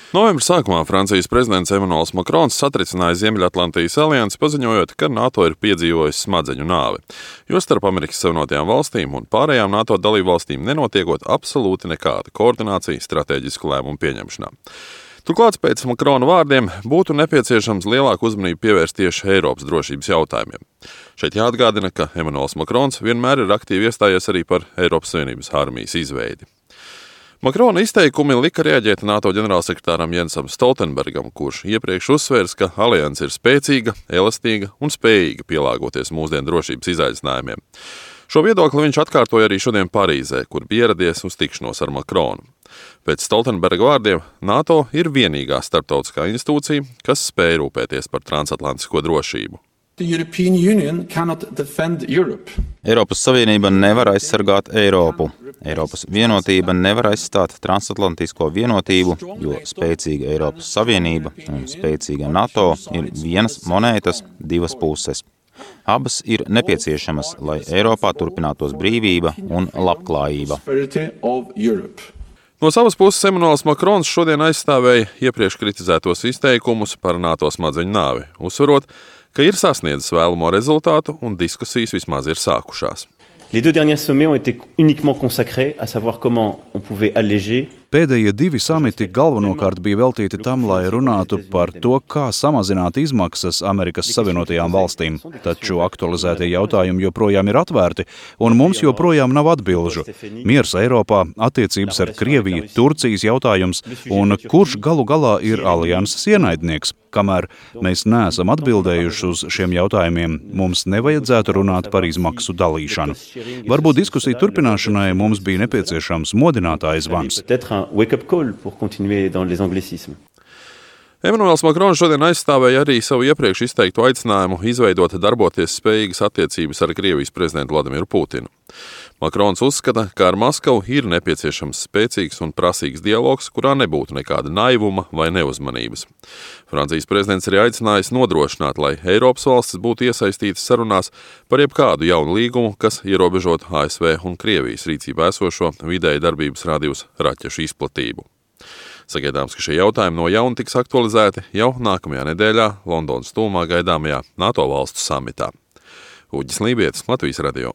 Novembra sākumā Francijas prezidents Emmanuels Macrons satricināja Ziemeļatlantijas aliansi, paziņojot, ka NATO ir piedzīvojis smadzeņu nāvi, jo starp Amerikas Savienotajām valstīm un pārējām NATO dalībvalstīm nenotiekot absolūti nekāda koordinācija stratēģisku lēmumu pieņemšanā. Turklāt pēc Makrona vārdiem būtu nepieciešams lielāku uzmanību pievērst tieši Eiropas drošības jautājumiem. Šeit jāatgādina, ka Emmanuels Makrons vienmēr ir aktīvi iestājies arī par Eiropas Savienības armijas izveidi. Makrona izteikumi lika reaģēt NATO ģenerālsekretāram Jensam Stoltenbergam, kurš iepriekš uzsvērs, ka alianse ir spēcīga, elastīga un spējīga pielāgoties mūsdienu drošības izaicinājumiem. Šo viedokli viņš atkārtoja arī šodien Parīzē, kur bija ieradies uz tikšanos ar Makronu. Pēc Stoltenberga vārdiem NATO ir vienīgā starptautiskā institūcija, kas spēj rūpēties par transatlantisko drošību. Eiropas Savienība nevar aizsargāt Eiropu. Eiropas vienotība nevar aizstāt transatlantisko vienotību, jo spēcīga Eiropas Savienība un spēcīga NATO ir vienas monētas divas puses. Abas ir nepieciešamas, lai Eiropā turpinātos brīvība un labklājība. No savas puses Emmanuels Makrons šodien aizstāvēja iepriekš kritizētos izteikumus par NATO smadzeņu nāvi, uzsverot, ka ir sasniedzis vēlamo rezultātu un diskusijas vismaz ir sākušās. Les deux derniers sommets ont été uniquement consacrés à savoir comment on pouvait alléger. Pēdējie divi samiti galvenokārt bija veltīti tam, lai runātu par to, kā samazināt izmaksas Amerikas Savienotajām valstīm. Taču aktualizētie jautājumi joprojām ir atvērti, un mums joprojām nav atbilžu. Miers Eiropā, attiecības ar Krieviju, Turcijas jautājums, un kurš galu galā ir alianses ienaidnieks. Kamēr mēs neesam atbildējuši uz šiem jautājumiem, mums nevajadzētu runāt par izmaksu dalīšanu. Varbūt diskusiju turpināšanai mums bija nepieciešams modinātājs zvans. Emmanuels Makrons šodien aizstāvēja arī savu iepriekš izteikto aicinājumu izveidot darboties spējīgas attiecības ar Krievijas prezidentu Vladimiru Putinu. Makrons uzskata, ka ar Maskavu ir nepieciešams spēcīgs un prasīgs dialogs, kurā nebūtu nekāda naivuma vai neuzmanības. Francijas prezidents arī aicinājis nodrošināt, lai Eiropas valstis būtu iesaistītas sarunās par jebkādu jaunu līgumu, kas ierobežot ASV un Krievijas rīcībā esošo vidēja darbības radiusa raķešu izplatību. Sagaidāms, ka šie jautājumi no jauna tiks aktualizēti jau nākamajā nedēļā Londonas tuvumā gaidāmajā NATO valstu samitā. Uģis Lībietis, Latvijas radio.